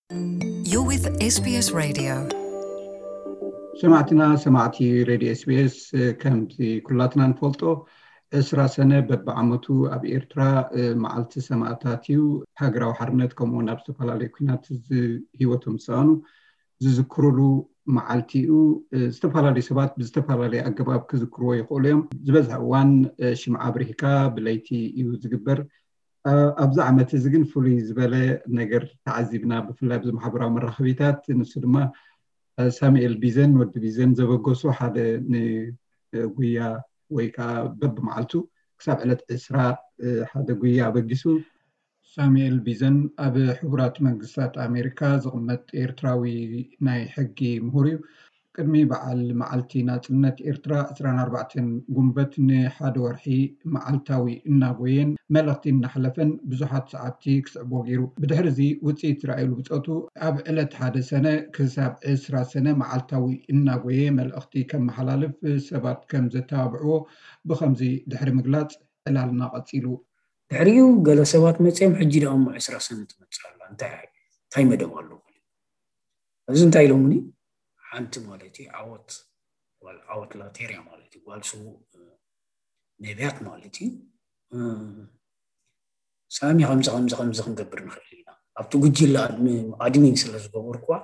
You're with S B S Radio. ሰማዕትና፣ ሰማዕቲ ሬድዮ ኤስቢኤስ፣ ከምቲ ኩላትና ንፈልጦ፣ ዕስራ ሰነ በብዓመቱ ኣብ ኤርትራ መዓልቲ ሰማእታት እዩ። ሃገራዊ ሓርነት፣ ከምኡ እውን ኣብ ዝተፈላለዩ ኩናት ህይወቶም ዝሰኣኑ ዝዝክሩሉ መዓልቲ እዩ። ዝተፈላለዩ ሰባት ብዝተፈላለየ ኣገባብ ክዝክርዎ ይኽእሉ እዮም። ዝበዝሐ እዋን ሽምዓ ኣብሪህካ ብለይቲ እዩ ዝግበር። ኣብዚ ዓመት እዚ ግን ፍሉይ ዝበለ ነገር ተዓዚብና። ብፍላይ ኣብዚ ማሕበራዊ መራኸቢታት፣ ንሱ ድማ ሳሙኤል ቢዘን፣ ወዲ ቢዘን ዘበገሶ ሓደ ንጉያ ወይ ከዓ በብመዓልቱ ክሳብ ዕለት ዕስራ ሓደ ጉያ ኣበጊሱ። ሳሙኤል ቢዘን ኣብ ሕቡራት መንግስታት ኣሜሪካ ዝቕመጥ ኤርትራዊ ናይ ሕጊ ምሁር እዩ። ቅድሚ በዓል መዓልቲ ናጽነት ኤርትራ ዕስራን ኣርባዕተን ጉንበት ንሓደ ወርሒ መዓልታዊ እናጎየን መልእኽቲ እናሕለፈን ብዙሓት ሰዓብቲ ክስዕቦ ገይሩ። ብድሕሪ እዚ ውጽኢት ዝረኣየሉ ብጾቱ ኣብ ዕለት ሓደ ሰነ ክሳብ ዕስራ ሰነ መዓልታዊ እናጎየ መልእኽቲ ከመሓላልፍ ሰባት ከም ዘተባብዕዎ ብኸምዚ ድሕሪ ምግላጽ ዕላልና ቀጺሉ። ድሕሪኡ ገለ ሰባት መጺኦም፣ ሕጂ ደኣ እሞ ዕስራ ሰነ ትመጽእ ኣላ፣ እንታይ እንታይ መደብ ኣሎ? እዚ እንታይ ኢሎምኒ? ሓንቲ ማለት እዩ ዓወት፣ ጓል ዓወት ላቴርያ ማለት እዩ፣ ጓል ስዉእ ነቢያት ማለት እዩ። ሳሚ፣ ከምዚ ከምዚ ከምዚ ክንገብር ንኽእል ኢና። ኣብቲ ጉጅለ ኣድሚ-፣ ኣድሚን ስለ ዝገበርኩዋ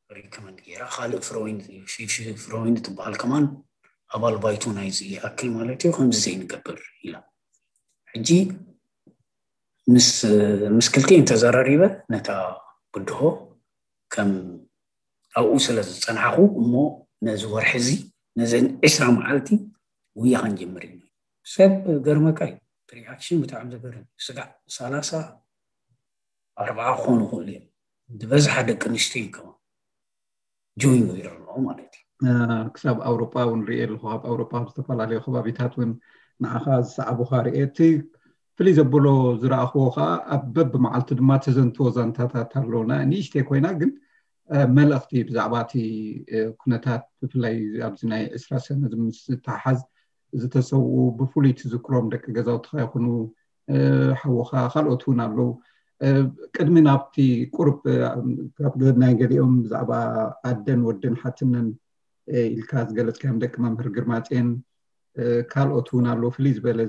ሪከመንድ ገይራ፣ ካልእ ፍሮይን፣ ፊፊ ፍሮይን ትበሃል ከማን ኣባል ባይቶ ናይዚ ይኣክል ማለት እዩ፣ ከምዚ ዘይንገብር ኢላ። ሕጂ ምስ ምስ ክልቲኤን ተዘራሪበ፣ ነታ ብድሆ ከም ኣብኡ ስለ ዝጸናሕኩ እሞ ነዚ ወርሒ እዚ፣ ነዘን ዕስራ መዓልቲ ጉያ ክንጅምር ኢና። ሰብ ገርመካ እዩ፣ እቲ ሪኣክሽን ብጣዕሚ ዘገርም። ስጋዕ ሰላሳ ኣርባዓ ክኾኑ ይኽእሉ እዮም። ዝበዝሓ ደቂ ኣንስትዮ እዮም ከማን ጆይን ገይረንኦ ማለት እዩ። ክሳብ ኣውሮጳ እውን ሪኤ ኣለኹ። ኣብ ኣውሮጳ ኣብ ዝተፈላለዩ ከባቢታት እውን ንዓኻ ዝሰዓቡኻ ሪኤ። እቲ ፍልይ ዘብሎ ዝረኣኽዎ ከዓ ኣብ በብመዓልቱ ድማ ተዘንትዎ ዛንታታት ኣሎ። ንእሽተይ ኮይና ግን መልእኽቲ ብዛዕባ እቲ ኩነታት፣ ብፍላይ ኣብዚ ናይ ዕስራ ሰነ ምስ ዝተሓሓዝ ዝተሰውኡ፣ ብፍሉይ ትዝክሮም ደቂ ገዛውትኻ ይኹኑ፣ ሓውኻ፣ ካልኦት እውን ኣለዉ። ቅድሚ ናብቲ ቁሩብ ካብ ናይ ገሊኦም ብዛዕባ ኣደን ወድን ሓትነን ኢልካ ዝገለጽካዮም ደቂ መምህር ግርማጼን ካልኦት እውን ኣለዉ። ፍልይ ዝበለ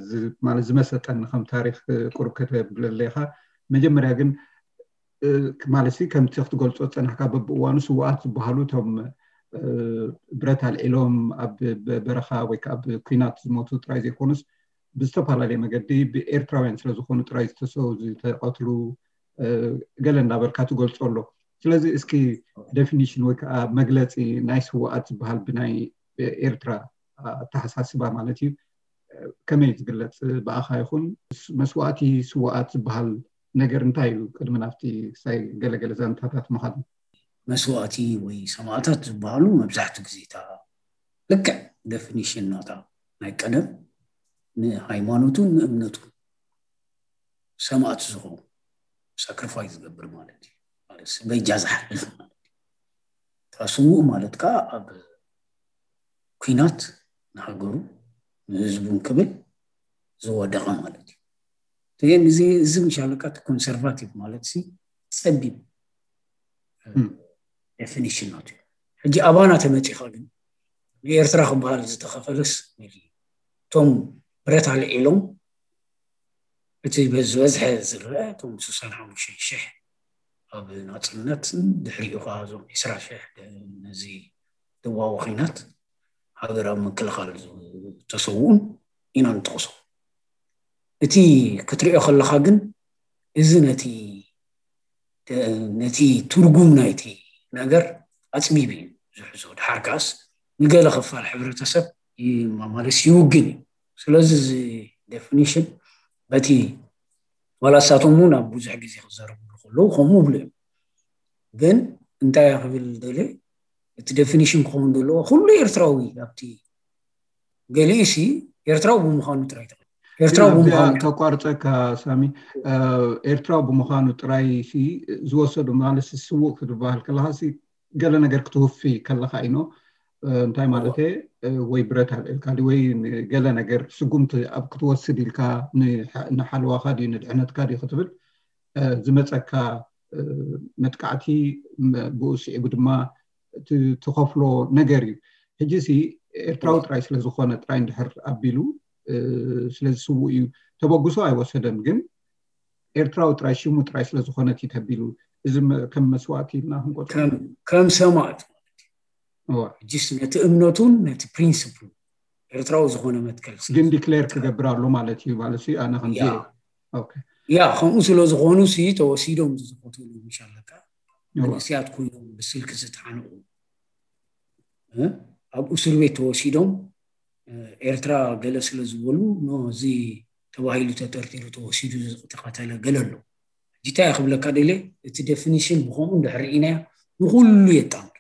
ማለት ዝመሰጠኒ ከም ታሪኽ ቁሩብ ከተብለለይኻ። መጀመርያ ግን ማለት ከምቲ ክትገልጾ ዝጸናሕካ በብእዋኑ ስውኣት ዝበሃሉ እቶም ብረት ኣልዒሎም ኣብ በረኻ ወይ ከዓ ኣብ ኲናት ዝሞቱ ጥራይ ዘይኮኑስ ብዝተፈላለየ መገዲ ብኤርትራውያን ስለ ዝኾኑ ጥራይ ዝተሰው ዝተቐትሉ ገለ እንዳበልካ ትገልጾ ኣሎ። ስለዚ እስኪ ዴፊኒሽን ወይ ከዓ መግለፂ ናይ ስውኣት ዝበሃል ብናይ ኤርትራ ኣተሓሳስባ ማለት እዩ ከመይ ዝግለፅ ብኣኻ ይኹን መስዋእቲ ስውኣት ዝበሃል ነገር እንታይ እዩ? ቅድሚ ናብቲ ክሳይ ገለገለ ዛንታታት ምኻድ መስዋእቲ ወይ ሰማእታት ዝበሃሉ መብዛሕትኡ ግዜ እታ ልክዕ ዴፊኒሽን ናታ ናይ ቀደም ንሃይማኖቱን ንእምነቱን ሰማእት ዝኸውን ሳክሪፋይስ ዝገብር ማለት እዩ። ማለት በጃ ዝሓልፍ ማለት እዩ። እታ ስዉእ ማለት ከዓ ኣብ ኲናት ንሃገሩ ንህዝቡን ክብል ዝወደቐ ማለት እዩ። እዚ እዚ ምሻለካ እቲ ኮንሰርቫቲቭ ማለት ሲ ጸቢብ ዴፊኒሽን ናቱ እዩ። ሕጂ ኣባና ተመጺኻ ግን ንኤርትራ ክበሃል ዝተኸፈለስ እቶም ብረት ኣልዒሎም እቲ ዝበዝሐ ዝረአ እቶም ስሳን ሓሙሽተ ሽሕ ኣብ ናጽነትን ድሕሪኡ ከዓ እዞም ዕስራ ሽሕ ነዚ ደቡባዊ ኲናት ሃገር ኣብ ምክልኻል ዝተሰውኡን ኢና ንጥቕሶ። እቲ ክትሪኦ ከለኻ ግን እዚ ነቲ ነቲ ትርጉም ናይቲ ነገር ኣጽቢብ እዩ ዝሕዞ። ድሓር ከኣስ ንገለ ክፋል ሕብረተሰብ ማለስ ይውግን እዩ። ስለዚ እዚ ዴፊኒሽን በቲ ዋላ እሳቶም እውን ኣብ ብዙሕ ግዜ ክዛረብሉ ከለዉ ከምኡ ይብሉ እዮም። ግን እንታይ ክብል ደልየ እቲ ዴፊኒሽን ክኸውን ዘለዎ ኩሉ ኤርትራዊ ኣብቲ ገሊኡ ሲ ኤርትራዊ ብምዃኑ ጥራይ ተቐ ኤርትራዊ ብምዃኑ ተቋርፀካ ሳሚ ኤርትራዊ ብምዃኑ ጥራይ ሲ ዝወሰዱ ማለት ስውእ ክትበሃል ከለካ ሲ ገለ ነገር ክትውፊ ከለካ ኢኖ እንታይ ማለት ወይ ብረት ኣልዕልካ ወይ ገለ ነገር ስጉምቲ ኣብ ክትወስድ ኢልካ ንሓልዋካ ድዩ ንድሕነትካ ድዩ ክትብል ዝመፀካ መጥቃዕቲ ብኡ ስዒቡ ድማ ትኸፍሎ ነገር እዩ። ሕጂ ሲ ኤርትራዊ ጥራይ ስለዝኾነ ጥራይ እንድሕር ኣቢሉ ስለዝስውእ እዩ። ተበግሶ ኣይወሰደን፣ ግን ኤርትራዊ ጥራይ ሽሙ ጥራይ ስለዝኾነት እዩ ተቢሉ። እዚ ከም መስዋእቲ ኢልና ክንቆጽሮ ከም ሰማእት ጅስ ነቲ እምነቱን ነቲ ፕሪንስፕል ኤርትራዊ ዝኾነ መትከል ግን ዲክሌር ክገብር ኣሎ ማለት እዩ። ማለት ኣነ ከም ያ ከምኡ ስለ ዝኾኑ ሲ ተወሲዶም ዝዝኮትሉ ምሻለካ መንእስያት ኮይኖም ብስልኪ ዝተሓንቑ ኣብ እስር ቤት ተወሲዶም ኤርትራ ገለ ስለ ዝበሉ እዚ ተባሂሉ ተጠርጢሩ ተወሲዱ ዝተኸተለ ገለ ኣሎ። ጅታ ክብለካ ደለ እቲ ዴፊኒሽን ብኸምኡ እንድሕር ኢናያ ንኩሉ የጣምር።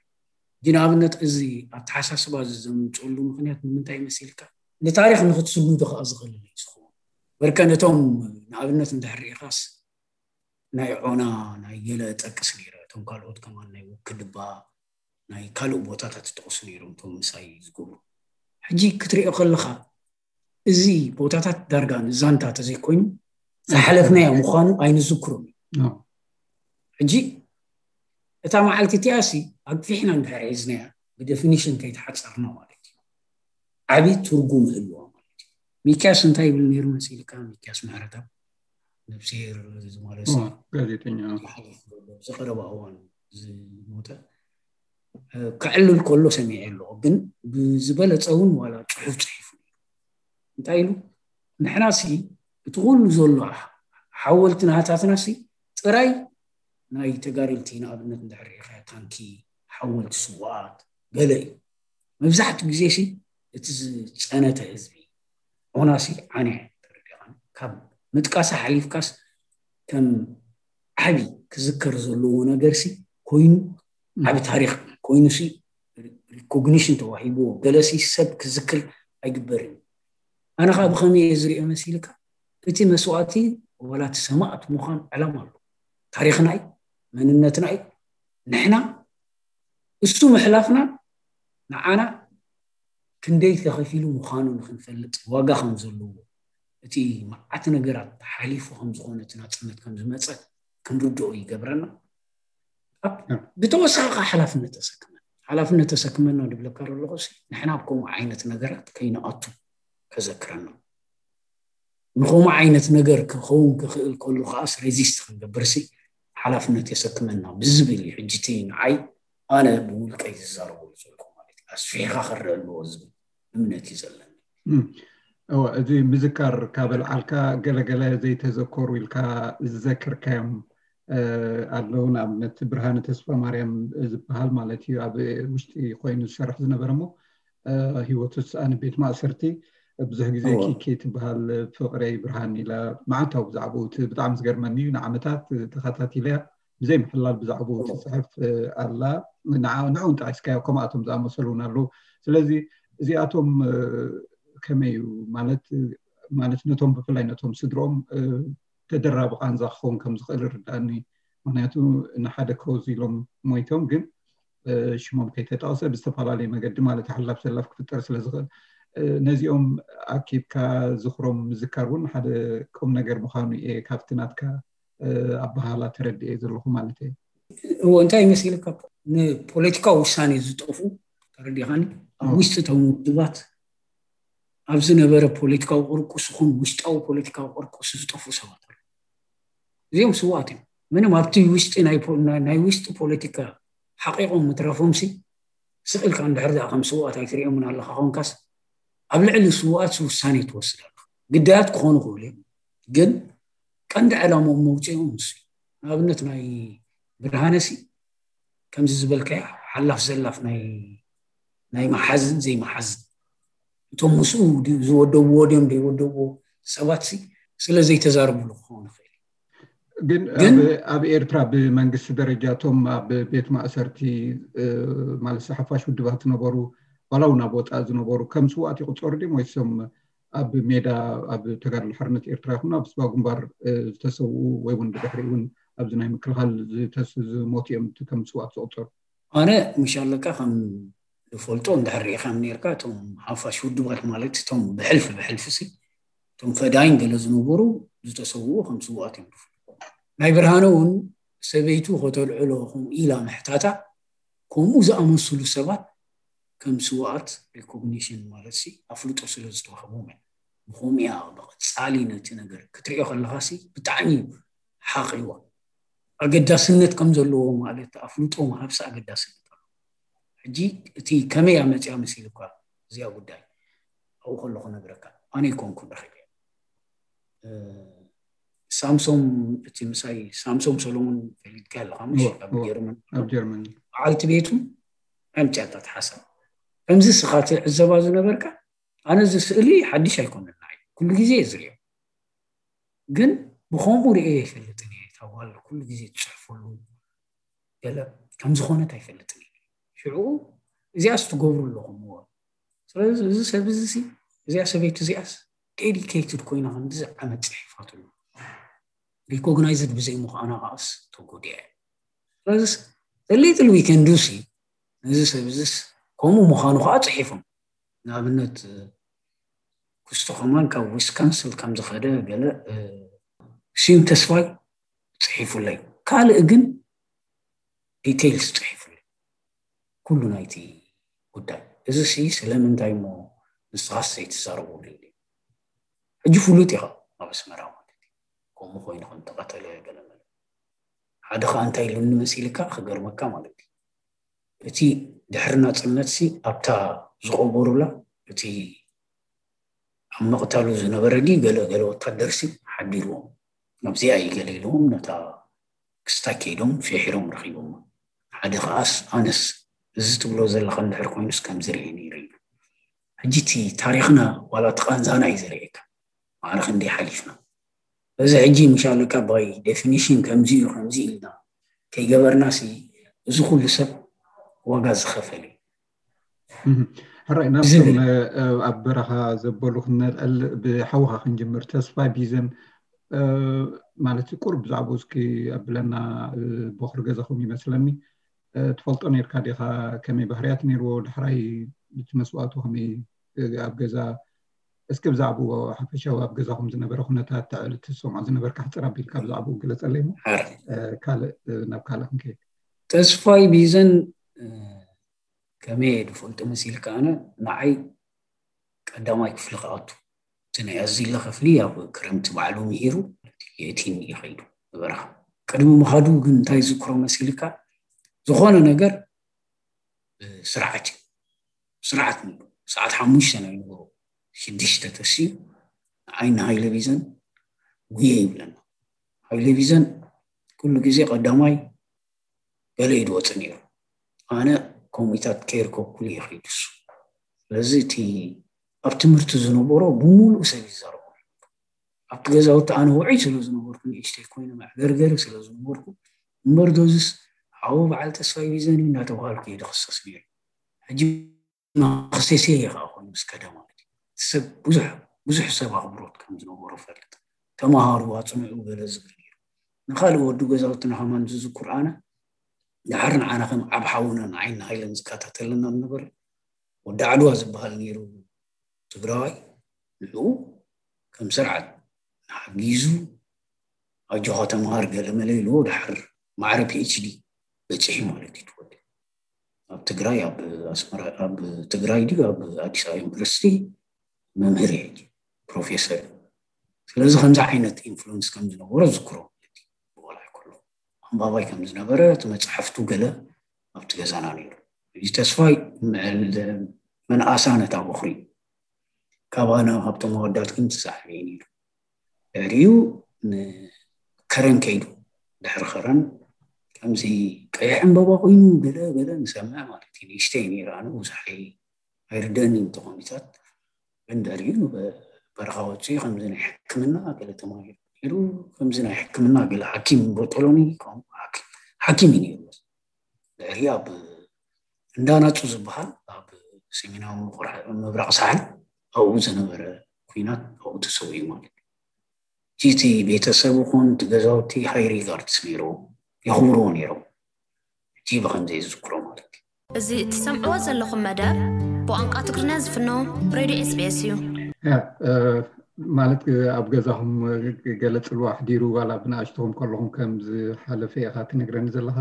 ግን ኣብነት እዚ ኣተሓሳስባ እዚ ዘምፅሉ ምክንያት ንምንታይ መሲልካ ንታሪክ ንክትስንዱ ከዓ ዝኽእል እዩ ዝኸውን። በርከ ነቶም ንኣብነት እንድሕር ኢኻስ ናይ ዖና ናይ ገለ ጠቅስ ነይረ፣ እቶም ካልኦት ከማን ናይ ውክድባ ናይ ካልእ ቦታታት ዝጠቅሱ ነይሮም እቶም ምሳይ ዝገብሩ። ሕጂ ክትሪኦ ከለካ እዚ ቦታታት ዳርጋ ንዛንታ ተዘይኮይኑ ዝሓለፍናዮ ምዃኑ ኣይንዝክሮም እዩ። ሕጂ እታ መዓልቲ እቲኣ ሲ ኣግፊሕና እንድሕር ሒዝናያ ብደፊኒሽን ከይተሓፀርና ማለት እዩ ዓብዪ ትርጉም ይህልዋ ማለት እዩ። ሚኪያስ እንታይ ይብል ነይሩ መሲልካ? ሚኪያስ ምሕረተኣብ ነብስሄር ዝማለሲ ጋዜጠኛ ዝቀረባ እዋን ዝሞተ ከዕልል ከሎ ሰሚዐ ኣለኹ። ግን ብዝበለፀ እውን ዋላ ፅሑፍ ፅሒፉ እንታይ ኢሉ ንሕና ሲ እቲ ኩሉ ዘሎ ሓወልቲ ናህታትና ሲ ጥራይ ናይ ተጋደልቲ ንኣብነት እንድሕር ርኢኻ ታንኪ ሓወልቲ ስዋኣት ገለ እዩ። መብዛሕትኡ ግዜ ሲ እቲ ዝፀነተ ህዝቢ ዖናሲ ዓነ ተረዲኻን ካብ ምጥቃሳ ሓሊፍካስ ከም ዓቢ ክዝከር ዘለዎ ነገር ሲ ኮይኑ ዓቢ ታሪክ ኮይኑ ሲ ሪኮግኒሽን ተዋሂብዎ ገለሲ ሰብ ክዝክር ኣይግበርን። ኣነ ከዓ ብኸመይ እየ ዝሪኦ መሲልካ እቲ መስዋእቲ ዋላ እቲ ሰማእት ምዃን ዕላማ ኣሎ። ታሪክናይ መንነትናይ ንሕና እሱ ምሕላፍና ንዓና ክንደይ ተኸፊሉ ምዃኑ ንክንፈልጥ ዋጋ ከም ዘለዎ እቲ መዓት ነገራት ሓሊፉ ከም ዝኾነ እቲ ናፅነት ከም ዝመፀ ክንርድኦ ይገብረና። ብተወሳኺ ከዓ ሓላፍነት ተሰክመና ሓላፍነት ተሰክመና ድብለካ ዘለኹ ንሕና ኣብ ከምኡ ዓይነት ነገራት ከይንኣቱ ከዘክረና ንኸምኡ ዓይነት ነገር ክኸውን ክኽእል ከሉ ከዓስ ሬዚስት ክንገብርሲ ሓላፍነት የሰክመና ብዝብል እዩ። ሕጂ እቲ ንዓይ ኣነ ብውልቀይ ዝዛረበሉ ዘለኹ ማለት እዩ። ኣስፊሕካ ክረአ ኣለዎ ዝብል እምነት እዩ ዘለኒ። እዚ ምዝካር ካብ ኣልዓልካ ገለገለ ዘይተዘከሩ ኢልካ ዝዘክርካዮም ኣለዉ። ንኣብነት ብርሃነ ተስፋ ማርያም ዝበሃል ማለት እዩ ኣብ ውሽጢ ኮይኑ ዝሰርሕ ዝነበረ እሞ ህይወቱ ስኣን ቤት ማእሰርቲ ብዙሕ ግዜ ኪኪ ትበሃል ፍቅረይ ብርሃን ኢላ መዓልታዊ ብዛዕባኡ ብጣዕሚ ዝገርመኒ እዩ። ንዓመታት ተኸታቲለያ ብዘይ ምሕላል ብዛዕባኡ ትፅሕፍ ኣላ። ንዕውን ጠቂስካዮ ከምኣቶም ዝኣመሰሉ እውን ኣለዉ። ስለዚ እዚኣቶም ከመይ እዩ ማለት ማለት ነቶም ብፍላይ ነቶም ስድሮም ተደራቢ ቃንዛ ክኸውን ከም ዝኽእል ይርዳእኒ። ምክንያቱ ንሓደ ኮዝ ኢሎም ሞይቶም ግን ሽሞም ከይተጠቕሰ ብዝተፈላለየ መገዲ ማለት ሓላፍ ዘላፍ ክፍጠር ስለ ዝኽእል ነዚኦም ኣኪብካ ዝኽሮም ምዝካር እውን ሓደ ቁም ነገር ምዃኑ እየ ካብቲ ናትካ ኣበሃህላ ተረዲኤ ዘለኹ ማለት እየ። እዎ እንታይ ይመስልካ ንፖለቲካዊ ውሳኔ ዝጠፉ ተረዲኻኒ ኣብ ውሽጢ እቶም ውድባት ኣብ ዝነበረ ፖለቲካዊ ቅርቁስ ይኹን ውሽጣዊ ፖለቲካዊ ቅርቁስ ዝጠፉ ሰባት ኣሉ። እዚኦም ስዋት እዮም። ምንም ኣብቲ ውሽጢ ናይ ውሽጢ ፖለቲካ ሓቂቆም ምትረፎምሲ ስቕ ኢልካ እንድሕር ደኣ ከም ስዋት ኣይትሪኦምን ኣለካ ኮንካስ ኣብ ልዕሊ ስዋት ውሳኔ ትወስድ ኣለካ። ግዳያት ክኾኑ ክእሉ እዮም ግን ቀንዲ ዕላሞም መውፅኦም ንሱ ንኣብነት ናይ ብርሃነሲ ከምዚ ዝበልካዮ ሓላፍ ዘላፍ ናይ ናይ መሓዝን ዘይመሓዝን እቶም ምስኡ ዝወደብዎ ድዮም ዘይወደብዎ ሰባት ሲ ስለ ዘይተዛርብሉ ክኸውን ይኽእል። ግን ኣብ ኤርትራ ብመንግስቲ ደረጃ እቶም ኣብ ቤት ማእሰርቲ ማለት ሓፋሽ ውድባት ዝነበሩ ዋላ እውን ኣብ ወፃኢ ዝነበሩ ከም ስዋት ይቁፀሩ ድዮም ወይሶም ኣብ ሜዳ ኣብ ተጋድሎ ሓርነት ኤርትራ ይኹን ኣብ ስባ ግንባር ዝተሰውኡ ወይ እውን ብድሕሪ እውን ኣብዚ ናይ ምክልኻል ዝሞት እዮም ከም ስዋት ዝቁፀሩ? ኣነ ምሽ ኣለካ ከም ዝፈልጦ እንድሕር ርኢኻ ነርካ እቶም ሓፋሽ ውድባት ማለት እቶም ብሕልፊ ብሕልፊ ሲ እቶም ፈዳይን ገለ ዝነበሩ ዝተሰውኡ ከም ስዋት እዮም ዝፈልጦ። ናይ ብርሃነ እውን ሰበይቱ ከተልዕሎ ከምኡ ኢላ ምሕታታ፣ ከምኡ ዝኣመሰሉ ሰባት ከም ስውኣት ሪኮግኒሽን ማለት ሲ ኣፍልጦ ስለ ዝተዋህቦም እዮም። ብኸምኡ እያ ብቐጻሊ ነቲ ነገር ክትሪኦ ከለኻ ሲ ብጣዕሚ እዩ ሓቒዋ። ኣገዳስነት ከም ዘለዎ ማለት ኣፍልጦ ምሃብሲ ኣገዳስነት ኣሎ። ሕጂ እቲ ከመይ ኣመፅያ መሲልኳ እዚኣ ጉዳይ ኣብኡ ከለኹ ነግረካ ኣነ ይኮንኩን ረኺበ ሳምሶም እቲ ምሳይ ሳምሶም ሰሎሞን ፈሊጥካ ኣለካ ምሽ ኣብ ጀርመን ኣብ ጀርመን በዓልቲ ቤቱ ኣምፅያታ ትሓሰብ ከምዚ ስኻ ትዕዘባ ዝነበርካ ኣነ እዚ ስእሊ ሓድሽ ኣይኮነና እዩ ኩሉ ግዜ እየ ዝሪኦ ግን ብኸምኡ ርኤ ይፈልጥን እየ እታ ጓል ኩሉ ግዜ ትፅሕፈሉ ገለ ከም ዝኾነት ኣይፈልጥን እየ ሽዑ እዚኣስ ትገብሩ ኣለኹም እዎ ስለዚ እዚ ሰብ እዚ እዚኣ ሰበይቲ እዚኣስ ዴዲኬትድ ኮይና ከምዚ ዓመት ፅሒፋትሉ ሪኮግናይዝድ ብዘይምዃና ከዓስ ተጎዲዐ ስለዚስ the little we can do ሲ ነዚ ሰብ እዚስ ከምኡ ምዃኑ ከዓ ፅሒፎም ንኣብነት ክስቶ ከማን ካብ ዊስካንስል ከም ዝኸደ ገለ ስዩም ተስፋይ ፅሒፉለይ ካልእ ግን ዲቴይልስ ፅሒፉለይ ኩሉ ናይቲ ጉዳይ እዚ ሲ ስለምንታይ እሞ ንስኻስ ዘይትዛረበሉ ኢሉ ሕጂ ፍሉጥ ኢኻ ኣብ ኣስመራ ማለት እዩ ከምኡ ኮይኑ ከም ተቐተለ ገለ መለ ሓደ ከዓ እንታይ ኢሉኒ መሲልካ ክገርመካ ማለት እዩ እቲ ድሕሪ ናፅነት ሲ ኣብታ ዝቐበሩላ እቲ ኣብ ምቕታሉ ዝነበረ ድዩ ገለ ገለ ወታደር ሲ ሓዲርዎም ኣብዚኣ እዩ ገለ ኢልዎም ነታ ክስታይ ከይዶም ፊሒሮም ረኺቦም ሓደ ከዓስ ኣነስ እዚ ትብሎ ዘለኻ እንድሕር ኮይኑስ ከምዚ ርኤ ነይረ ኢሉ ሕጂ እቲ ታሪኽና ዋላ እቲ ቃንዛና እዩ ዘርእየካ ማዕረ ክንደይ ሓሊፍና በዚ ሕጂ ምሻለካ ባይ ዴፊኒሽን ከምዚ እዩ ከምዚ ኢልና ከይገበርና ሲ እዚ ኩሉ ሰብ ዋጋ ዝኸፈል እዩ ሕራይ ናብቶም ኣብ በረኻ ዘበሉ ክንነልዕል ብሓውኻ ክንጅምር ተስፋ ቢዘን ማለት ቁሩብ ብዛዕባኡ እስኪ ኣብለና ቦኽሪ ገዛኹም ይመስለኒ ትፈልጦ ነርካ ዲኻ ከመይ ባህርያት ነርዎ ዳሕራይ እቲ መስዋእቱ ከመይ ኣብ ገዛ እስኪ ብዛዕባኡ ሓፈሻዊ ኣብ ገዛኹም ዝነበረ ኩነታት ተዕል ትሰምዖ ዝነበርካ ሕፅር ኣቢልካ ብዛዕባኡ ግለፀለይ ሞ ካልእ ናብ ካልእ ክንከይድ ተስፋይ ቢዘን ከመይ እየ ዝፈልጦ መሲልካ ኣነ ንዓይ ቀዳማይ ክፍሊ ክኣቱ እቲ ናይ ኣዚለ ክፍሊ ኣብ ክረምቲ ባዕሉ ምሂሩ የእቲኒ ይኸይዱ በረኻ ቅድሚ ምኻዱ ግን እንታይ ዝክሮ መሲልካ ዝኾነ ነገር ስርዓት እዩ ስርዓት ንብሎ ሰዓት ሓሙሽተ ናይ ንግሆ ሽዱሽተ ተስዩ ንዓይ ንሃይለ ቢዘን ጉየ ይብለና ሃይለ ቢዘን ኩሉ ግዜ ቀዳማይ ገለ እዩ ዝወፅእ ነይሩ ኣነ ከምኡታት ከይርከብኩሉ ይኸይድ እሱ ስለዚ እቲ ኣብ ትምህርቲ ዝነበሮ ብምሉእ ሰብ ይዛረቡ ኣብቲ ገዛውቲ ኣነ ውዑይ ስለ ዝነበርኩ ንእሽተይ ኮይኑ መዕገርገሪ ስለ ዝነበርኩ እምበር ዶዝስ ሓዉ በዓል ተስፋይ ቢዘን እዩ እናተባሃልኩ እየ ዝኽሰስ ነይሩ ሕጂ ክሴሴ እየ ከዓ ኮይኑ ምስ ከደ ማለት እዩ ሰብ ብዙሕ ብዙሕ ሰብ ኣኽብሮት ከም ዝነበሮ ፈልጥ ተምሃሩ ኣፅንዑ ገለ ዝብል ነይሩ ንካልእ ወዲ ገዛውትና ከማን ዝዝኩር ኣነ ድሓር ንዓና ከም ዓብ ሓውናን ዓይኒ ሃይለን ዝከታተለና ዝነበረ ወዲ ዓድዋ ዝበሃል ነይሩ ትግራዋይ ንዕኡ ከም ስርዓት ሓጊዙ ኣጆኻ ተምሃር ገለ መለ ኢልዎ ድሓር ማዕረ ፒኤችዲ በፂሑ ማለት እዩ ትወዲ ኣብ ትግራይ ኣብ ኣስመራ ኣብ ትግራይ ድዩ ኣብ ኣዲስ ኣበባ ዩኒቨርሲቲ መምህር እዩ ሕጂ ፕሮፌሰር እዩ ስለዚ ከምዚ ዓይነት ኢንፍሉንስ ከም ዝነበሮ ዝክሮ ማለት እዩ ብቆልዓ ከሎ ኣንባባይ ከም ዝነበረ እቲ መፅሓፍቱ ገለ ኣብቲ ገዛና ነይሩ እዚ ተስፋይ ምዕል መናእሳ ነታ ቦኽሪ ካባና ካብቶም ኣወዳት ግን ትሳዕብ እየ ነይሩ ድሕሪኡ ንከረን ከይዱ ድሕሪ ከረን ከምዚ ቀይሕ ዕምበባ ኮይኑ ገለ ገለ ንሰምዕ ማለት እዩ ንእሽተይ ነይረ ኣነ ብዙሕ ኣይርደእኒ ተኾሚታት ግን ድሕሪኡ በረኻ ወፅኡ ከምዚ ናይ ሕክምና ገለ ተማሂሩ ነይሩ ከምዚ ናይ ሕክምና ገለ ሓኪም ቦጦሎኒ ሓኪም እዩ ነይሩ ድሕሪ ኣብ እንዳናፁ ዝበሃል ኣብ ሰሜናዊ ምብራቕ ሳሕል ኣብኡ ዝነበረ ኩናት ኣብኡ ተሰዊኡ ማለት እዩ እቲ ቤተሰብ ይኹን እቲ ገዛውቲ ሃይ ሪጋርድስ ነይርዎ የኽብርዎ ነይሮም ሕጂ ብከምዘይ ዝዝክሮ ማለት እዩ እዚ እትሰምዕዎ ዘለኹም መደብ ብቋንቋ ትግርኛ ዝፍኖ ሬድዮ ኤስቢኤስ እዩ። ማለት ኣብ ገዛኹም ገለ ጽልዋ ኣሕዲሩ ዋላ ብንኣሽትኹም ከለኹም ከም ዝሓለፈ ኢኻ ትነግረኒ ዘለኻ።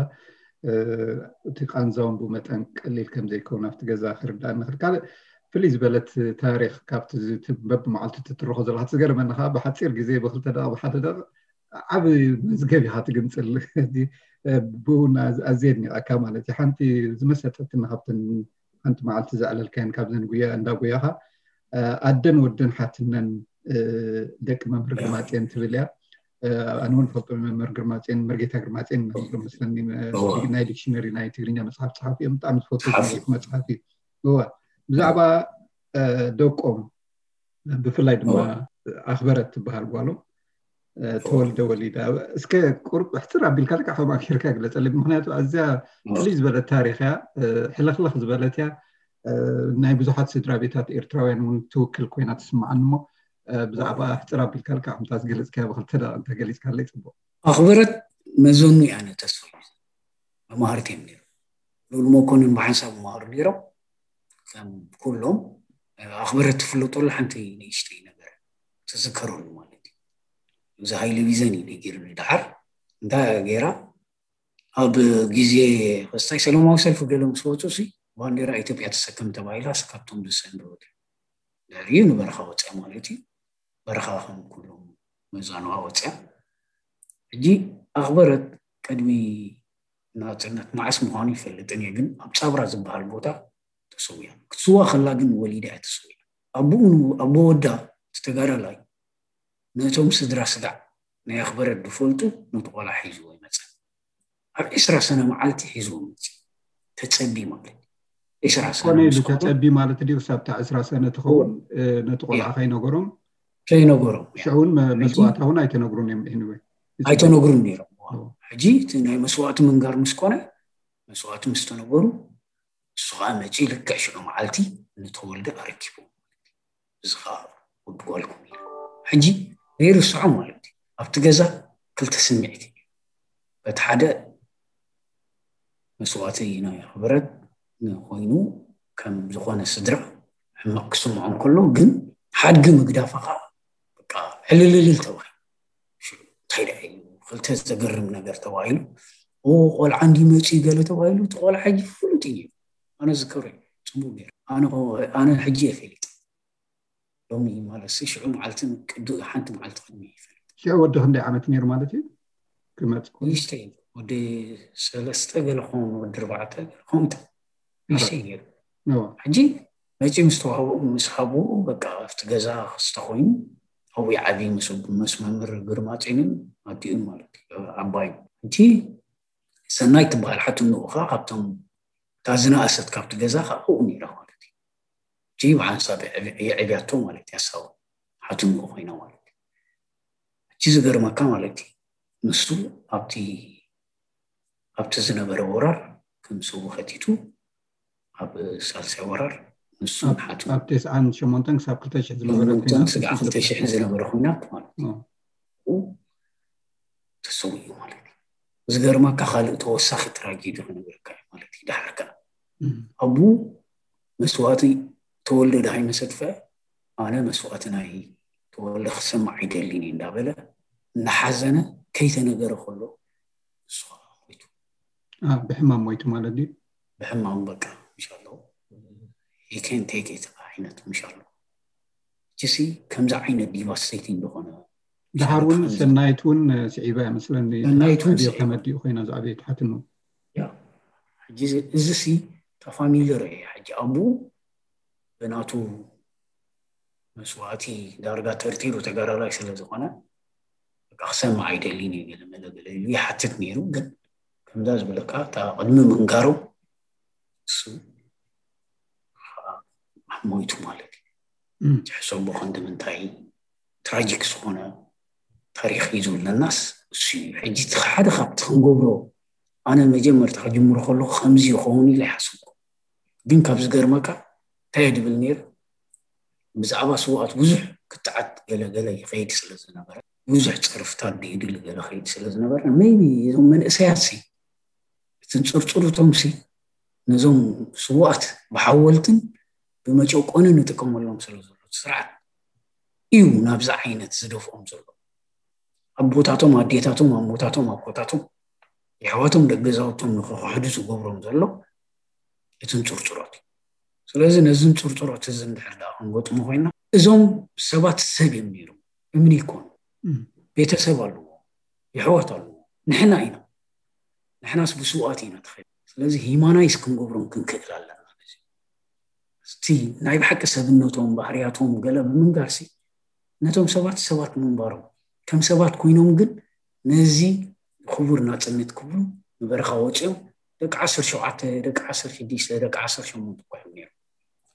እቲ ቃንዛውን ብመጠን ቀሊል ከም ዘይከውን ኣብቲ ገዛ ክርዳእ ንኽእል። ካልእ ፍልይ ዝበለት ታሪኽ ካብቲ በብመዓልቱ ትትርኾ ዘለኻ ትገርመኒ ከዓ ብሓፂር ግዜ ብክልተ ደቂ ብሓደ ደቂ ዓብ መዝገብ ኢኻ ትግንፅል። ብኡ ኣዝየ ኣድኒቐካ ማለት እዩ። ሓንቲ ዝመሰጠትኒ ካብተን ሓንቲ መዓልቲ ዘዕለልካየን ካብዘን ጉያ እንዳ ጉያኻ ኣደን ወደን ሓትነን ደቂ መምህር ግርማፅዮን ትብል እያ። ኣነ እውን ፈልጦ መምህር ግርማፅዮን መርጌታ ግርማፅዮን መስለኒ ናይ ዲክሽነሪ ናይ ትግርኛ መፅሓፍ ፀሓፊ እዮም። ብጣዕሚ ዝፈቱ መፅሓፍ እዩ። እዋ ብዛዕባ ደቆም ብፍላይ ድማ ኣኽበረት ትበሃል ጓሎም ተወልደ ወሊዳ እስከ ቁርብ ሕፅር ኣቢልካ ልካ ከም ኣኪርካ ግለፀለይ። ምክንያቱ ኣዝያ ፍልይ ዝበለት ታሪክ እያ። ሕልኽልኽ ዝበለት እያ። ናይ ብዙሓት ስድራ ቤታት ኤርትራውያን እውን ትውክል ኮይና ትስምዓኒ እሞ ብዛዕባ ሕፅር ኣቢልካ ልካ ከምታ ዝገለፅካያ ብክልተ ደቂ እንተገሊፅካለይ ፅቡቅ። ኣኽበረት መዘኑ እያ ነተስፋ መማህርቲ እዮም ነይሮም። ልኡል መኮንን ብሓንሳብ መማህሩ ነይሮም። ከም ኩሎም ኣኽበረት ትፍለጠሉ ሓንቲ ንእሽተይ ነገር ትዝከረሉ ማለት እዩ። እዚ ሃይለ ቢዘን እዩ ነጊሩኒ። ደሓር እንታይ ገይራ ኣብ ግዜ ክስታይ ሰላማዊ ሰልፊ ገለ ምስ ወፁ ሲ ባንዴራ ኢትዮጵያ ተሰከም ተባሂላ ሲ ካብቶም ዝሰንድወት ድሕሪኡ ንበረኻ ወፅያ ማለት እዩ። በረኻ ከም ኩሎም መዛኑዋ ወፅያ። ሕጂ ኣኽበረት ቅድሚ ናፅነት መዓስ ምዃኑ ይፈልጥን እየ፣ ግን ኣብ ፃብራ ዝበሃል ቦታ ተሰዊያ። ክትስዋ ከላ ግን ወሊዳ እያ ተሰዊያ። ኣቦኡ ኣቦ ወዳ እቲ ተጋዳላይ ነቶም ስድራ ስጋዕ ናይ ኣኽበረት ዝፈልጡ ነቲ ቆልዓ ሒዝዎ ይመፀ። ኣብ ዕስራ ሰነ መዓልቲ ሒዝዎ መፂ። ተፀቢ ማለት ዕስራ ሰነ ኮነ ኢሉ ምስ ከሎ ተፀቢ ማለት ድዩ? ክሳብ እታ ዕስራ ሰነ ትኸውን ነቲ ቆልዓ ከይነገሮም ከይነገሮም ሽዑ እውን መ- መስዋእታ እውን ኣይተነግሩን እዮም። Anyway ኣይተነግሩን ነይሮም። ሕጂ እቲ ናይ መስዋእቲ ምንጋር ምስ ኮነ መስዋእቲ ምስ ተነገሩ እሱ ከዓ መፂ ልክዕ ሽዑ መዓልቲ ንተወልደ ኣረኪቡ። እዚ ከዓ ወዲ ጓልኩም እዩ። ሕጂ ዘይርስዖ ማለት እዩ። ኣብቲ ገዛ ክልተ ስምዒት እዩ። በቲ ሓደ መስዋእቲ ናይ ኣኽበረት ኮይኑ ከም ዝኾነ ስድራ ሕማቕ ክስምዖ እንከሎ ግን ሓድጊ ምግዳፋ ከዓ በቃ ዕልልልል ተባሂሉ። ሽዑ እንታይ ደኣ እዩ ክልተ ዘገርም ነገር ተባሂሉ። ኦ ቆልዓ እንዲ መፂ ገለ ተባሂሉ። እቲ ቆልዓ ሕጂ ፍሉጥ እዩ። ኣነ ዝከረ ፅቡቅ ገይረ ኣነ ሕጂ የፈልጥ ሎሚ ማለት ሲ ሽዑ መዓልትን ቅዱ ሓንቲ መዓልቲ ቅድሚ ይፈልጥ። ሽዑ ወዲ ክንደይ ዓመት ነይሩ ማለት እዩ ክመፅእ ከሎ? ንእሽተይ ወዲ ሰለስተ ገለ ክኸውን ወዲ ኣርባዕተ ገለ ክኸውን ንእሽተይ ነይሩ። ሕጂ መፂኡ ምስ ተዋህቦ ምስ ሃቦ በቃ ኣብቲ ገዛ ክስተ ኮይኑ ኣብኡ ይዓብይ ምስ መምህር ግርማፅዮንን ኣዲኡን ማለት እዩ ዓባዩ። እቲ ሰናይ ትበሃል ሓትንኡ ከዓ ካብቶም እታ ዝነኣሰት ካብቲ ገዛ ከዓ ኣብኡ ነይራ ማለት እዩ። እቲ ብሓንሳብ የዕብያቶ ማለት እዩ። ሓሳቡ ሓትንኡ ኮይና ማለት እዩ። እቲ ዝገርመካ ማለት እዩ ንሱ ኣብቲ ኣብቲ ዝነበረ ወራር ከም ሰቡ ከቲቱ ኣብ ሳልሳይ ወራር ንሱ ሓቱ ኣብ ተስዓን ሸሞንተን ክሳብ ክልተ ሽሕ ዝነበረ ሸሞንተን ኩናት ስጋዕ ክልተ ሽሕ ዝነበረ ኩናት ማለት እዩ። ተሰዊኡ ማለት እዩ። ዝገርመካ ካልእ ተወሳኺ ትራጌዲ ክነግረካ እዩ ማለት እዩ። ድሓር ከኣ ኣቡ መስዋእቲ ተወልደ ድሃይ መሰትፈ ኣነ መስዋእቲ ናይ ተወልደ ክሰማዕ ኣይደልን እዩ እንዳበለ እናሓዘነ ከይተነገረ ከሎ ንሱ ከዓ ሞይቱ። ብሕማም ሞይቱ ማለት ድዩ? ብሕማም በቃ ምሻሎ ይከን ቴክ ዓይነት ምሻሎ ችሲ ከምዚ ዓይነት ዲቫስቴቲንግ ዝኾነ ድሓር እውን ሰናይት እውን ስዒባ እያ መስለኒ። ሰናይት እውን ስዒባ። ተመዲኡ ኮይና ዝዓበየት ሓትኑ። ያ ሕጂ እዚ ሲ ተፋሚልር እየ ሕጂ ኣቡ ብናቱ መስዋእቲ ዳርጋ ተርቲሩ ተጋዳላይ ስለ ዝኾነ በቃ ክሰምዕ ኣይደልን እዩ ገለ መለ ገለ ኢሉ ይሓትት ነይሩ። ግን ከምዛ ዝብለካ እታ ቅድሚ ምንጋሩ እሱ ሞይቱ ማለት እዩ። ትሕሰቦ ክንዲ ምንታይ ትራጂክ ዝኾነ ታሪክ እዩ ዝብለናስ እሱ እዩ። ሕጂ እቲ ሓደ ካብቲ ክንገብሮ ኣነ መጀመርታ ክጅምሮ ከለኩ ከምዚ ይኸውን ኢለ ይሓሰብኩ። ግን ካብ ዝገርመካ እንታይ እየ ድብል ነይረ ብዛዕባ ስውኣት ብዙሕ ክትዓት ገለገለ ይኸይድ ስለ ዝነበረ ብዙሕ ፀርፍታት ድይድሊ ገለ ኸይድ ስለ ዝነበረ maybe እዞም መንእሰያት ሲ እቲ ንፅርፅሩቶም ሲ ነዞም ስውኣት ብሓወልትን ብመጨቆንን ንጥቀመሎም ስለ ዘሎ እቲ ስርዓት እዩ ናብዚ ዓይነት ዝደፍኦም ዘሎ። ኣቦታቶም ኣዴታቶም ኣሞታቶም ኣቦታቶም የሕዋቶም ደቂ ገዛውቶም ንክክሕዱ ዝገብሮም ዘሎ እቲ ንፅርፅሮት እዩ። ስለዚ ነዚ ንፅርፅሮት እዚ እንድሕር ደኣ ክንገጥሞ ኮይና እዞም ሰባት ሰብ እዮም ነይሮም። እምኒ ይኮኑ። ቤተሰብ ኣለዎ፣ የሕዋት ኣለዎ፣ ንሕና ኢና። ንሕናስ ብስውኣት ኢና ተኸ ስለዚ ሂማናይስ ክንገብሮም ክንክእል ኣለና። እቲ ናይ ብሓቂ ሰብነቶም ባህርያቶም ገለ ብምንጋርሲ ነቶም ሰባት ሰባት ምንባሮም ከም ሰባት ኮይኖም ግን ነዚ ክቡር ናፅነት ክብሉ ንበረኻ ወፂኦም ደቂ ዓሰርተ ሸውዓተ ደቂ ዓሰርተ ሽዱሽተ ደቂ ዓሰርተ ሸሞንተ እኳ እዮም ነይሮም።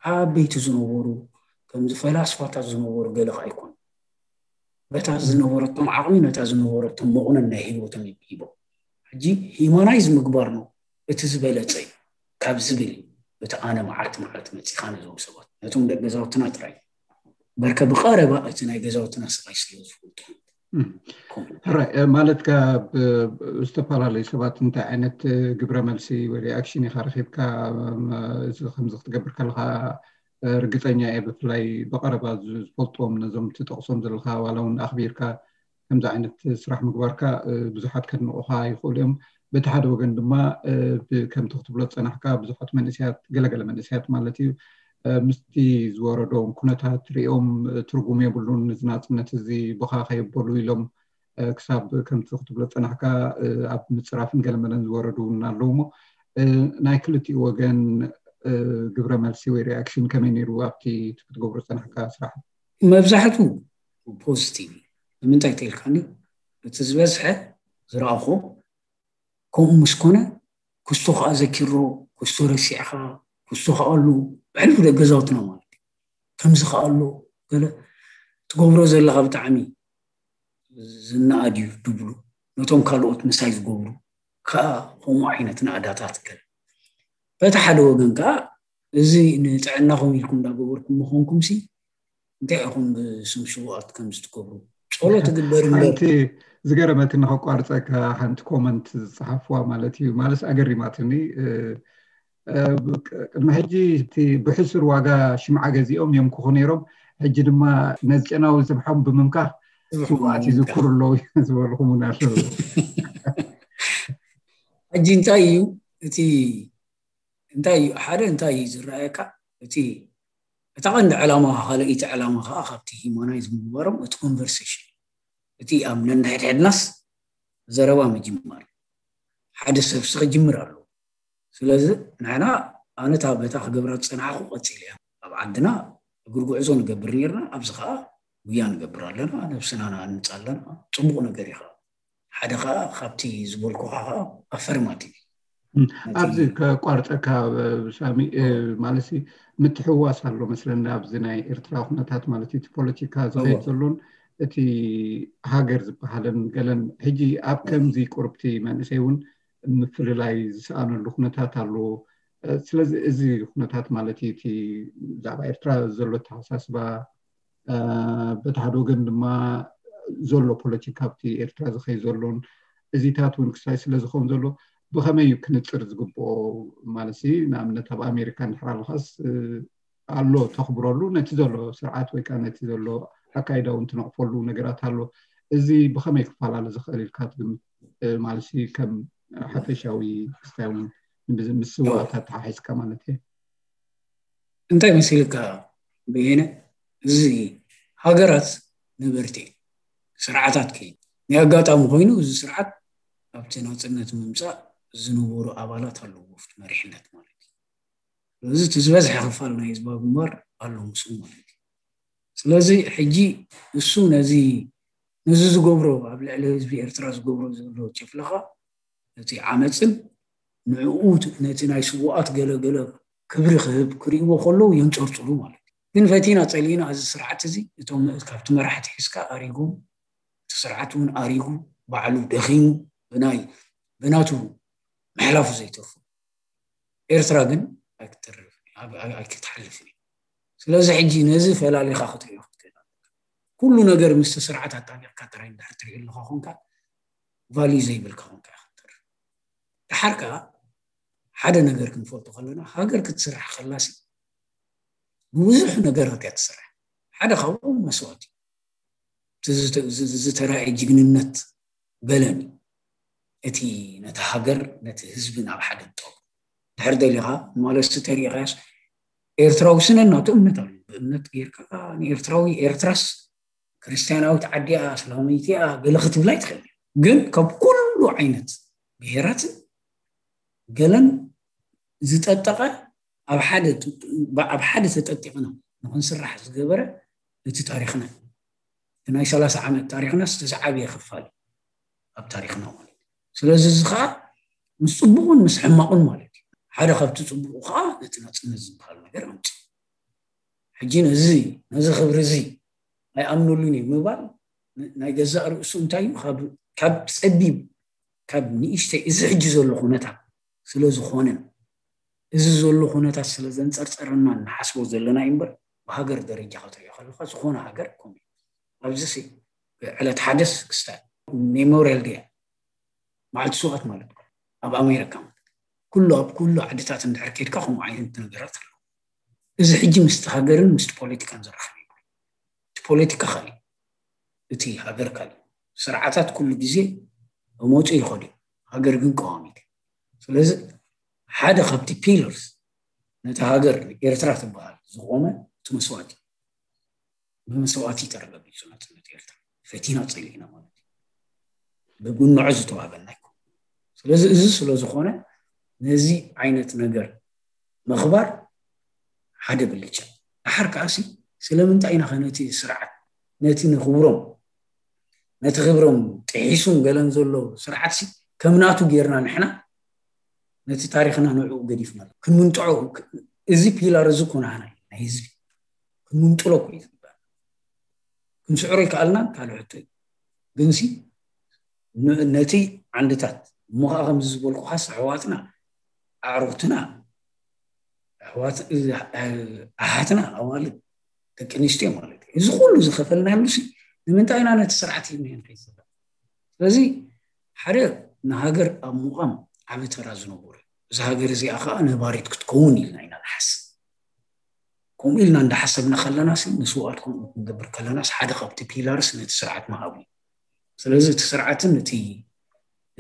ዓበይቲ ዝነበሩ ከምዚ ፈላስፋታት ዝነበሩ ገለ ከዓ ኣይኮኑ። በታ ዝነበረቶም ዓቕሚ ነታ ዝነበረቶም መቑነን ናይ ህይወቶም ሂቦም ሕጂ ሂማናይዝ ምግባር ነው እቲ ዝበለፀ እዩ ካብ ዝብል እዩ። እቲ ኣነ መዓልቲ መዓልቲ መፂኻ ነዞም ሰባት ነቶም ደቂ ገዛውትና ጥራይ በርከ ብቐረባ እቲ ናይ ገዛውትና ስቓይ ስለ ዝፈልጡ ሕራይ ማለት ካብ ዝተፈላለዩ ሰባት እንታይ ዓይነት ግብረ መልሲ ወይ ሪኣክሽን ኢኻ ረኪብካ እዚ ከምዚ ክትገብር ከለካ ርግፀኛ እየ ብፍላይ ብቐረባ ዝፈልጥዎም ነዞም ትጠቕሶም ዘለካ ዋላ እውን ኣኽቢርካ ከምዚ ዓይነት ስራሕ ምግባርካ ብዙሓት ከድንቑኻ ይኽእሉ እዮም። በቲ ሓደ ወገን ድማ ከምቲ ክትብሎ ዝፀናሕካ ብዙሓት መንእስያት ገለገለ መንእስያት ማለት እዩ ምስቲ ዝወረዶም ኩነታት ሪኦም ትርጉም የብሉን እዚ ናፅነት እዚ ብኻ ከየበሉ ኢሎም ክሳብ ከምቲ ክትብሎ ዝፀናሕካ ኣብ ምፅራፍን ገለመለን ዝወረዱ እውን ኣለዉ እሞ ናይ ክልቲኡ ወገን ግብረ መልሲ ወይ ሪኣክሽን ከመይ ነይሩ ኣብቲ ክትገብሮ ዝፀናሕካ ስራሕ? መብዛሕቱ ፖዚቲቭ እዩ። ንምንታይ ተልካኒ እቲ ዝበዝሐ ዝረኣኹ ከምኡ ምስ ኮነ ክስቶ ከዓ ዘኪሮ ክስቶ ረሲዕኻ ክስቶ ከዓ ኣሉ ብሕልፊ ደቂ ገዛውትና ማለት እዩ ከምዚ ከዓ ኣሎ ገለ ትገብሮ ዘለካ ብጣዕሚ ዝነኣድ እዩ ድብሉ ነቶም ካልኦት ምሳይ ዝገብሩ ከዓ ከምኡ ዓይነት ናእዳታት ገለ በቲ ሓደ ወገን ከዓ እዚ ንጥዕናኹም ኢልኩም እንዳገበርኩም ምኾንኩም ሲ እንታይ ኢኹም ብስም ሽውኣት ከም ዝትገብሩ ጸሎት ትግበር እምበር ሓንቲ ዝገረመትኒ ከቋርፀካ ሓንቲ ኮመንት ዝፀሓፍዋ ማለት እዩ ማለት ኣገሪማትኒ ቅድሚ ሕጂ እቲ ብሕሱር ዋጋ ሽምዓ ገዚኦም የምክኹ ነይሮም ሕጂ ድማ ነዚ ጨናዊ ዝብሖም ብምምካኽ ሽውኣት ይዝክሩ ኣለዉ ዝበልኹም እውን ኣለዉ ሕጂ እንታይ እዩ እቲ እንታይ እዩ ሓደ እንታይ እዩ ዝረኣየካ እቲ እታ ቀንዲ ዕላማ ካልኣይቲ ዕላማ ከዓ ካብቲ ሂማናይዝ ምግባሮም እቲ ኮንቨርሴሽን እቲ ኣብ ነንሕድሕድናስ ዘረባ ምጅማር ሓደ ሰብሲ ክጅምር ኣለዎ ስለዚ ንሕና ኣነታ በታ ክገብራ ዝፀናሕኩ ቀፂል እያ ኣብ ዓድና እግሪ ጉዕዞ ንገብር ነርና ኣብዚ ከዓ ጉያ ንገብር ኣለና ነብስና ንኣንፅ ኣለና ፅቡቅ ነገር እዩ ከዓ ሓደ ከዓ ካብቲ ዝበልኩካ ከዓ ኣፈርማቲቭ ኣብዚ ከቋርፀካ ሳሚ ማለት ምትሕዋስ ኣሎ መስለኒ ኣብዚ ናይ ኤርትራ ኩነታት ማለት እቲ ፖለቲካ ዝኸይድ ዘሎን እቲ ሃገር ዝበሃልን ገለን ሕጂ ኣብ ከምዚ ቁርብቲ መንእሰይ እውን ምፍልላይ ዝሰኣነሉ ኩነታት ኣሎ ስለዚ እዚ ኩነታት ማለት እቲ ብዛዕባ ኤርትራ ዘሎ ተሓሳስባ በቲ ሓደ ወገን ድማ ዘሎ ፖለቲካ ኣብቲ ኤርትራ ዝኸይ ዘሎን እዚታት እውን ክሳይ ስለ ዝኸውን ዘሎ ብኸመይ እዩ ክንፅር ዝግብኦ ማለት ንኣብነት ኣብ ኣሜሪካ እንድሕር ኣለኻስ ኣሎ ተኽብረሉ ነቲ ዘሎ ስርዓት ወይ ከዓ ነቲ ዘሎ ኣካይዳ እውን ትነቕፈሉ ነገራት ኣሎ እዚ ብኸመይ ክፈላለ ዝኽእል ኢልካ ትግምት ማለት ከም ሓፈሻዊ ክስታይ እውን ምስ ስዋእታት ተሓሒዝካ ማለት እዩ እንታይ መሲልካ በየነ እዚ ሃገራት ነበርቲ ስርዓታት ከይ ናይ ኣጋጣሚ ኮይኑ እዚ ስርዓት ኣብቲ ናፅነት ምምፃእ ዝነበሩ ኣባላት ኣለዎ ኣብቲ መሪሕነት ማለት እዩ እዚ እቲ ዝበዝሐ ክፋል ናይ ህዝባዊ ግንባር ኣሎ ምስኡ ማለት እዩ ስለዚ ሕጂ እሱ ነዚ ነዚ ዝገብሮ ኣብ ልዕሊ ህዝቢ ኤርትራ ዝገብሮ ዘሎ ጭፍለኻ ነቲ ዓመፅን ንዕኡ ነቲ ናይ ስውኣት ገለገለ ክብሪ ክህብ ክርእይዎ ከለዉ የንፀርፅሩ ማለት እዩ ግን ፈቲና ፀሊእና እዚ ስርዓት እዚ እቶም ካብቲ መራሕቲ ሒዝካ ኣሪጎም እቲ ስርዓት እውን ኣሪጉ ባዕሉ ደኺሙ ብናይ ብናቱ ምሕላፉ ዘይተርፉ ኤርትራ ግን ኣይክተርፍ ኣይክትሓልፍ እዩ ስለዚ ሕጂ ነዚ ፈላሊኻ ክትሪኦ ክትክእል ኣለካ ኩሉ ነገር ምስቲ ስርዓት ኣጣቢቕካ ጥራይ እንድሕር ትሪኦ ኣለካ ኮንካ ቫልዩ ዘይብልካ ኮንካ ኢኻ ትተርፍ ደሓር ከዓ ሓደ ነገር ክንፈልጦ ከለና ሃገር ክትስራሕ ከላሲ ብብዙሕ ነገራት እያ ትስራሕ ሓደ ካብኡ መስዋእቲ እቲ ዝተራእየ ጅግንነት ገለን እዩ። እቲ ነቲ ሃገር ነቲ ህዝቢ ናብ ሓደ ጠው ድሕር ደሊኻ ንማለስቲ ተሪኢኻያስ ኤርትራዊ ስነ እናቱ እምነት ኣሎ። ብእምነት ጌርካ ንኤርትራዊ ኤርትራስ ክርስትያናዊት ዓዲያ እስላመይቲያ ገለ ክትብላ ይትኽእል። ግን ካብ ኩሉ ዓይነት ብሄራትን ገለን ዝጠጠቐ ኣብ ሓደ ተጠቂቕና ንክንስራሕ ዝገበረ እቲ ታሪኽና ናይ ሰላሳ ዓመት ታሪኽና ዝተዝዓብየ ክፋል ኣብ ታሪኽና ማለት እዩ። ስለዚ እዚ ከዓ ምስ ፅቡቕን ምስ ሕማቕን ማለት እዩ። ሓደ ካብቲ ፅቡቑ ከዓ ነቲ ናፅነት ዝበሃል ነገር ኣምፅእ ሕጂ ነዚ ነዚ ክብሪ እዚ ኣይኣምነሉን እዩ ምባል ናይ ገዛእ ርእሱ እንታይ እዩ ካብ ፀቢብ ካብ ንእሽተይ እዚ ሕጂ ዘሎ ኩነታት ስለ ዝኾነን እዚ ዘሎ ኩነታት ስለ ዘንፀርፀረና ንሓስቦ ዘለና እዩ እምበር ብሃገር ደረጃ ክትሪኦ ከለካ ዝኾነ ሃገር ኮም ኣብዚ ዕለት ሓደስ ክስታይ ሜሞሪያል ዴይ መዓልቲ ስውኣት ማለት ኣብ ኣሜሪካ ማለት ኩሉ ኣብ ኩሉ ዓድታት እንድሕር ከድካ ከምኡ ዓይነት ነገራት ኣሎ። እዚ ሕጂ ምስቲ ሃገርን ምስቲ ፖለቲካን ዘራኽብ እዩ። እቲ ፖለቲካ ካሊ እቲ ሃገር ካሊ ስርዓታት ኩሉ ግዜ መውፅኡ ይኸዱ ሃገር ግን ቀዋሚት። ስለዚ ሓደ ካብቲ ፒለርስ ነቲ ሃገር ኤርትራ ትበሃል ዝቆመ እቲ መስዋእቲ ብመስዋእቲ ተረጋጊፁ ናፅነት ኤርትራ ፈቲና ፀሊእና ማለት እዩ። ብጉንዖ ዝተዋህበና ይኮ ስለዚ እዚ ስለዝኾነ ነዚ ዓይነት ነገር ምኽባር ሓደ ብልጫ። ድሓር ከዓሲ ስለምንታይ ኢና ከነቲ ስርዓት ነቲ ንክብሮም ነቲ ክብሮም ጥሒሱን ገለን ዘሎ ስርዓትሲ ከም ናቱ ጌርና ንሕና ነቲ ታሪኽና ንዕኡ ገዲፍና ክንምንጥዖ እዚ ፒላር እዚ ኮናህና ናይ ህዝቢ ክንምንጥሎ ኮ እዩ ዝግባእ። ክንስዕሮ ይከኣልና ካልእ ሕቶ እዩ። ግንሲ ነቲ ዓንድታት እሞ ከዓ ከምዚ ዝበልኩኻስ ኣሕዋትና ኣዕሩኽትና ኣሓትና ኣዋልድ ደቂ ኣንስትዮ ማለት እዩ። እዚ ኩሉ ዝኸፈልናሉ ሲ ንምንታይ ኢና ነቲ ስርዓት ሂብና ንኸይድ ዘለና? ስለዚ ሓደ ንሃገር ኣብ ምቋም ዓቢ ተራ ዝነበሩ እዚ ሃገር እዚኣ ከዓ ነባሪት ክትከውን ኢልና ኢና ንሓስብ። ከምኡ ኢልና እንዳሓሰብና ከለና ሲ ንስውኣት ከምኡ ክንገብር ከለናስ ሓደ ካብቲ ፒላርስ ነቲ ስርዓት ምሃብ እዩ። ስለዚ እቲ ስርዓትን እቲ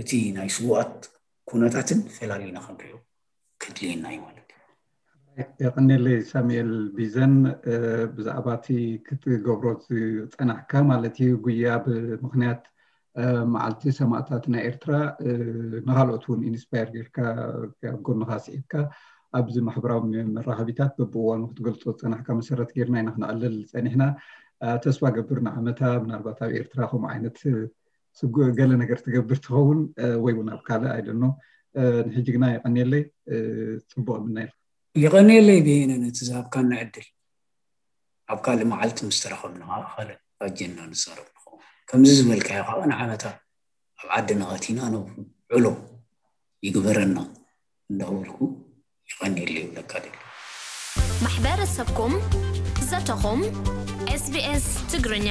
እቲ ናይ ስውኣት ኩነታትን ፈላሊና ክንሪኦ ከድልየና እዩ ማለት እዩ። የቐንየለይ ሳሙኤል ቢዘን ብዛዕባ እቲ ክትገብሮ ዝፀናሕካ ማለት እዩ ጉያ ብምክንያት መዓልቲ ሰማእታት ናይ ኤርትራ ንካልኦት እውን ኢንስፓየር ጌርካ ኣብ ጎንኻ ስዒብካ ኣብዚ ማሕበራዊ መራኸቢታት በብእዋኑ ክትገልፆ ዝፀናሕካ መሰረት ጌርና ኢና ክነዕልል ፀኒሕና። ተስፋ ገብር ንዓመታ ምናልባት ኣብ ኤርትራ ከምኡ ዓይነት ገለ ነገር ትገብር ትኸውን ወይ እውን ኣብ ካልእ ኣይደኖ። ንሕጂ ግና የቐንየለይ፣ ፅቡቕ ምና ኢልካ። የቐንየለይ ብሄነ ነቲ ዝሃብካና ዕድል። ኣብ ካልእ መዓልቲ ምስ ተረኸብና ከዓ ካልእ ኣጀንዳ ንዛረብ ንኸውን። ከምዚ ዝበልካዮ ከዓ ንዓመታ ኣብ ዓድና ኣቲና ነውዕሎ ይግበረና እንዳበልኩ የቐንየለይ ይብለካ ደሊ። ማሕበረሰብኩም ዘተኹም ኤስቢኤስ ትግርኛ